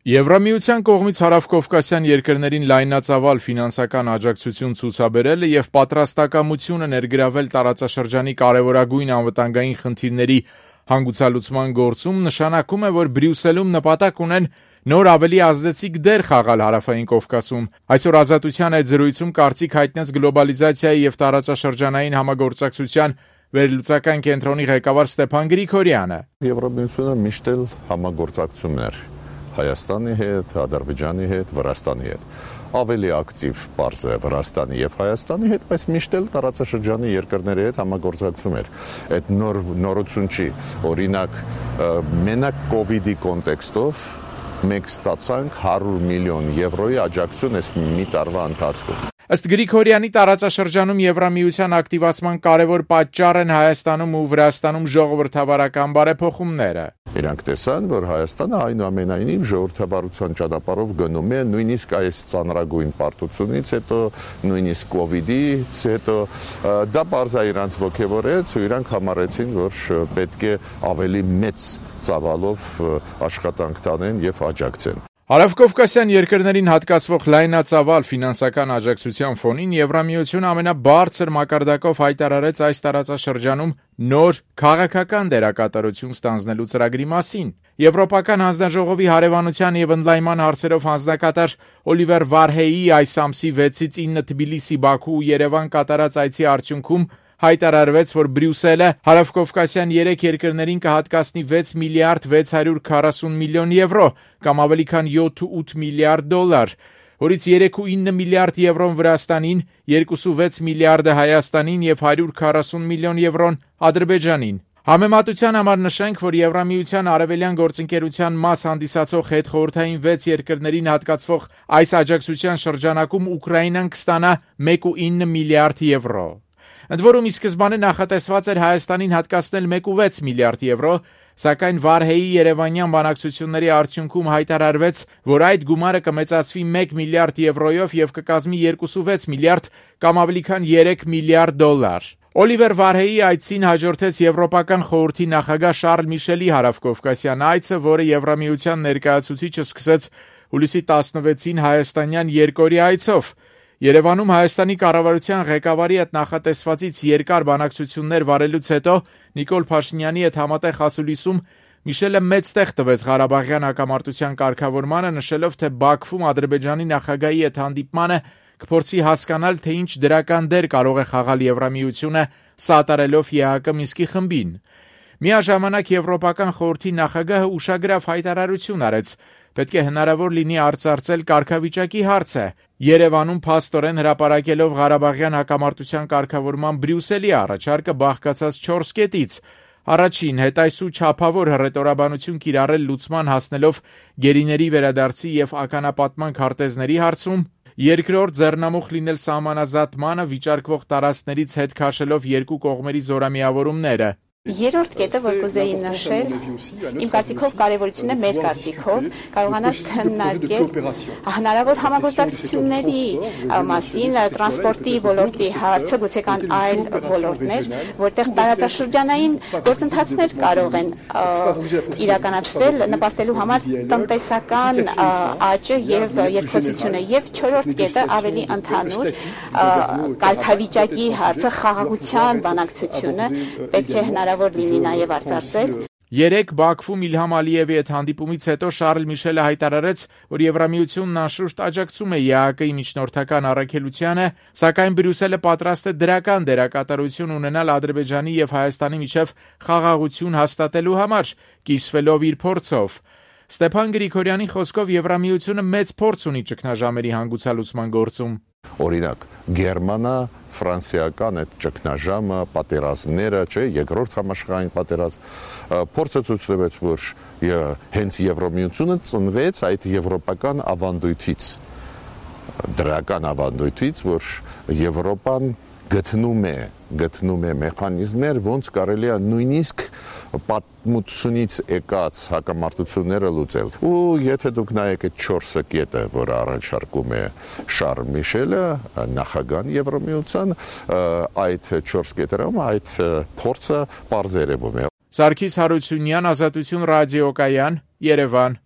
Եվրամիության կողմից հարավկովկասյան երկրներին լայնածավալ ֆինանսական աջակցություն ցուցաբերելը եւ պատրաստակամությունը ներգրավել տարածաշրջանի կարեւորագույն անվտանգային խնդիրների հանգուցալուծման գործում նշանակում է, որ Բրյուսելում նպատակ ունեն նոր ավելի ազդեցիկ դեր խաղալ հարավային Կովկասում։ Այսօր Ազատության այդ զրույցում կարծիք հայտնեց գլոբալիզացիայի եւ տարածաշրջանային համագործակցության վերլուծական կենտրոնի ղեկավար Ստեփան Գրիգորյանը։ Եվրամիությունը միշտ էլ համագործակցություններ Հայաստանի հետ, Ադրբեջանի հետ, Վրաստանի հետ։ Ավելի ակտիվ պարզ է Վրաստանի եւ Հայաստանի հետ, բայց միշտ էլ տարածաշրջանի երկրների հետ համագործակցում էր։ Այդ նորություն չի։ Օրինակ, մենակ կոവിഡ്ի կոնտեքստով մենք ստացանք 100 միլիոն եվրոյի աջակցություն այս մի տարվա ընթացքում։ Ըստ Գրիգորյանի տարածաշրջանում Եվրամիության ակտիվացման կարևոր պատճառ են Հայաստանում ու Վրաստանում ժողովրդավարական բարեփոխումները։ Իրանք տեսան, որ Հայաստանը այնուամենայնիվ ժողովրդավարության ճանապարհով գնում է, նույնիսկ այս ծանրագույն պարտությունից հետո, նույնիսկ կոവിഡ്ից հետո, դա բարձր իրանց ոգևորեց ու իրանք համարեցին, որ պետք է ավելի մեծ ծավալով աշխատանք տանեն եւ աջակցեն։ Հարավկովկասյան երկրներին հատկացվող լայնածավալ ֆինանսական աջակցության ֆոնին Եվրամիությունը ամենաբարձր մակարդակով հայտարարեց այս տարածաշրջանում նոր քաղաքական դերակատարություն ստանձնելու ծրագրի մասին։ Եվրոպական հանձնաժողովի հարևանության եւ ընդլայնման հարցերով հանձնակատար Օլիվեր Վարհեյի այս ամսի 6-ից 9 Թբիլիսի, Բաքու ու Երևան կատարած այցի արդյունքում հայտարարվեց, որ Բրյուսելը հարավկովկասյան 3 երկրներին կհատկացնի 6 միլիարդ 640 միլիոն եվրո, կամ ավելի քան 7-8 միլիարդ դոլար, որից 3.9 միլիարդ եվրոն Վրաստանին, 2.6 միլիարդը Հայաստանին եւ 140 միլիոն եվրոն Ադրբեջանին։ Համեմատության համար նշենք, որ Եվրամիության արևելյան գործընկերության մաս հանդիսացող հետխորհրդային 6 երկրներին հատկացվող այս աջակցության շրջանակում Ուկրաինան կստանա 1.9 միլիարդ եվրո։ Ընդ որում ի սկզբանե նախատեսված էր Հայաստանին հատկացնել 1.6 միլիարդ եվրո, սակայն Վարհեյի երևանյան բանակցությունների արդյունքում հայտարարվեց, որ այդ գումարը կմեծացվի 1 միլիարդ եվրոյով եւ կկազմի 2.6 միլիարդ կամ ավելի քան 3 միլիարդ դոլար։ Օլիվեր Վարհեյի այցին հաջորդեց Եվրոպական խորհրդի նախագահ Շարլ Միշելի հարավկովկասյան այցը, որը Եվրամիության ներկայացուցիչը սկսեց հուլիսի 16-ին հայաստանյան երկօրյա այցով։ Երևանում Հայաստանի կառավարության ղեկավարի հետ նախատեսվածից երկար բանակցություններ վարելուց հետո Նիկոլ Փաշինյանի հետ համատեղ ասուլիսում Միշելը մեծ տեղ տվեց Ղարաբաղյան հակամարտության կարգավորմանը, նշելով, թե Բաքվում Ադրբեջանի նախագահի հետ հանդիպմանը կփորձի հասկանալ, թե ինչ դրական դեր կարող է խաղալ Եվրամիությունը սատարելով ԵԱՀԿ Մինսկի խմբին։ Միաժամանակ Եվրոպական խորհրդի նախագահը ուշագրավ հայտարարություն արեց. պետք է հնարավոր լինի արծարծել կարգավիճակի հարցը, Երևանում փաստորեն հրապարակելով Ղարաբաղյան հակամարտության կարգավորման Բրյուսելի առաջարկը բաղկացած 4 կետից։ Առաջին, հետայսու չափավոր հռետորաբանություն կիրառել լուծման հասնելով գերիների վերադարձի եւ ականապատման քարտեզների հարցում։ Երկրորդ, ձեռնամուխ լինել սահմանազատմանը վիճարկվող տարածքներից հետ քաշելով երկու կողմերի զորամիավորումները։ Երրորդ կետը, որ կուզեի նշել, իմ կարծիքով կարևորությունն է մեր կարծիքով, կարողանալ քննարկել հնարավոր համագործակցությունների մասին, տրանսպորտի ոլորտի հարցը, գուցե կան այլ ոլորտներ, որտեղ տարածաշրջանային գործընթացներ կարող են իրականացվել, նպաստելու համար տնտեսական աճը եւ երկխոսությունը, եւ չորրորդ կետը ավելի ընդհանուր կարգավիճակի հարցը, խաղաղության բանակցությունը պետք է հնարավոր լինի նաև արծարծել։ Երեկ Բաքվում Իլհամ Ալիևի հետ հանդիպումից հետո Շարլ Միշելը հայտարարեց, որ Եվրամիությունն անշուշտ աջակցում է ԵԱՀԿ-ի միջնորդական առաքելությանը, սակայն Բրյուսելը պատրաստ է դրական դերակատարություն ունենալ Ադրբեջանի եւ Հայաստանի միջև խաղաղություն հաստատելու համար, կիսվելով իր փորձով։ Ստեփան Գրիգորյանի խոսքով Եվրամիությունը մեծ փորձ ունի ճգնաժամերի հանգուցալուծման գործում։ Օրինակ, գերմանա-ֆրանսիական այդ ճգնաժամը, պատերազմները, երկրորդ համաշխարհային պատերազմ, փորձը ցույց տվեց, որ հենց Եվրամիությունը ծնվեց այդ եվրոպական ավանդույթից, դրական ավանդույթից, որ Եվրոպան գտնում է մեխանիզմներ, ոնց կարելի է նույնիսկ պատմությունից եկած հակամարտությունները լուծել։ Ու եթե դուք նայեք այդ 4 կետը, որը առաջարկում է Շարլ Միշելը, նախագահան Եվրամիության, այդ 4 կետերում այդ փորձը պարզ երևում է։ Սարգիս Հարությունյան, Ազատություն ռադիոկայան, Երևան։